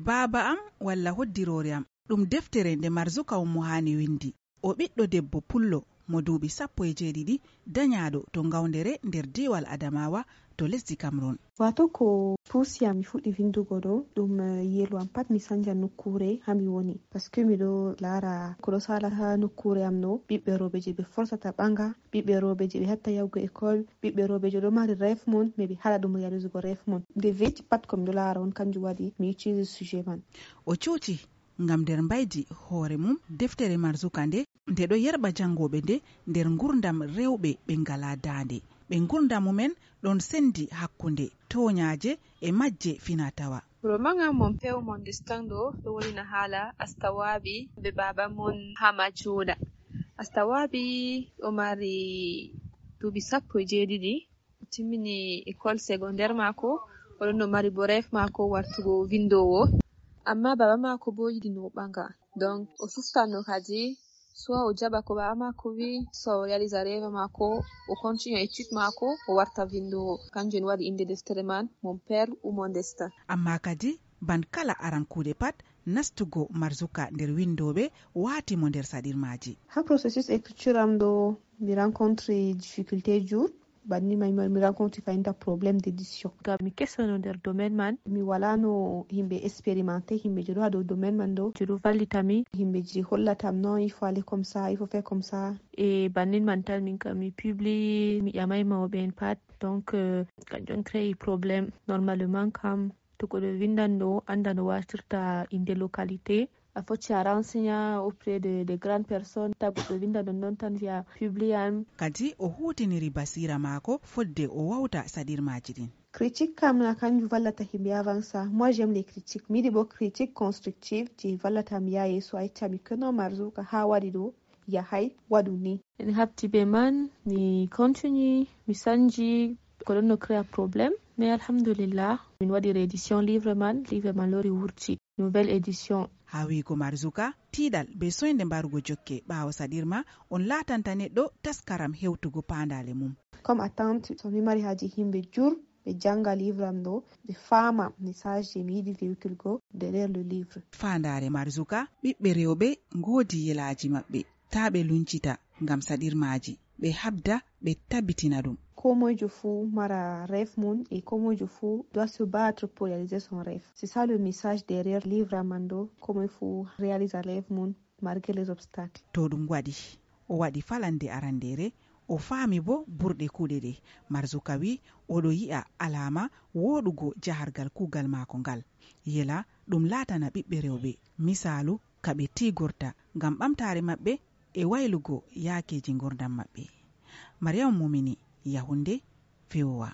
Baaba am walla hoddiroore am ɗum deftere nde Marzuka Ummu Hani windi. O ɓiɗɗo debbo pullo mo duuɓi 17 dañaaɗo to ngawndere nder diwal Adamawa to lesdi Cameroon. Wato ko puusiyam mi fuɗɗi vindugo ɗo ɗum yelo am pat mi sanja nokkure ha mi woni, paske miɗo laara ko ɗo sala ha nokkure am no ɓiɓɓe rooɓe je ɓe forsata ɓanga, ɓiɓɓe rooɓe je ɓe hatta yahugo école, ɓiɓɓe rooɓe je ɗo mari rêve mon mais ɓe haɗa ɗum réaliser rêve mon. Nde veji pat ko miɗo laara on kanjum waɗi mi uccide sujet man. O cuuti ngam nder mbaydi hoore mum deftere Marzuka nde ɗo yerɓa jangoɓe nde nder gurdam rewɓe ɓe ngala daande. Ɓe gurdam mumen ɗon sendi hakkunde toñaaje e majje fina-tawa. Roman mon pew mon distando ɗo wolina haala Astawabi be baba mon Hamajuda. Astawabi ɗo mari duuɓi 17 timmini école secondaire mako, oɗon no mari bo rêve mako wartugo vindowo, amma baba mako bo yiɗi no ɓanga, donc o suftanno kadi soit o jaɓa ko baba mako wi, soit o réalisa rêve mako, o continue étude mako, o warta vindowo. Kanjum waɗi inde deftere man Mon père ou mon destin. Amma kadi ban kala arankude pat nastugo Marzuka nder windoɓe waati mo nder saɗirmaji. Ha processus écriture am ɗo mi rencontre difficulté jour banni mai mi rencontre fainta problème d'édition. Gam mi kesano nder domaine man, mi walano himɓe expérimenté, himɓe je ɗo ha dow domaine man ɗo je ɗo vallitami, himɓe je hollatam non il faut aller comme ça, il faut faire comme ça. Et bannin man tan min kam mi publie, mi ƴamai mawɓe en pat, donc kanjum créé problème. Normalement kam to goɗɗo vindan ɗo anda no wartirta inde localité, a foti a renseigna auprès de grandes personnes, ta goɗɗo vinda non tan via publian. Kadi o hutiniri basira maako fodde o wawta saɗirmaji ɗin. Critique kam na kanjum vallata himɓe avança. Moi j'aime les critiques, mi yiɗi bo critique constructive je vallata mi yaha yeeso, a yeccami que non Marzuka ha waɗi ɗo yahay waɗu ni. En habti be man mi continue mi sanji ko ɗon no créa problème, mais alhamdulillah min waɗi réédition livre man lori wurti nouvelle édition. Ha wiigo Marzuka tiiɗal be soynde mbarugo jokke ɓaawo saɗirma on laatanta neɗɗo taskaram hewtugo paandale mum. Comme attente so mi mari haji himɓe jur ɓe janga livre am ɗo ɓe faama message je mi yiɗi véhiculgo derrière le livre. Faandare Marzuka ɓiɓɓe rewɓe ngoodi yelaji maɓɓe ta ɓe luncita ngam saɗirmaji, ɓe habda ɓe tabbitina ɗum. Komoijo fu mara rêve mon et komoijo fu doit se battre pour réaliser son rêve. C'est ça le message derrière livre amando, komoijo fu réalisa rêve mon malgré les obstacles. To ɗum waɗi o waɗi falande arandere, o faami bo burɗe kuuɗe ɗe. Marzuka wi oɗo yi'a alama woɗugo jahargal kuugal maako ngal, yela ɗum laatana ɓiɓɓe rewɓe misalu kaɓe tigorta ngam ɓamtare maɓɓe e waylugo yaakeji gurdam maɓɓe. Mariam Mumini, Yahunde, VOA.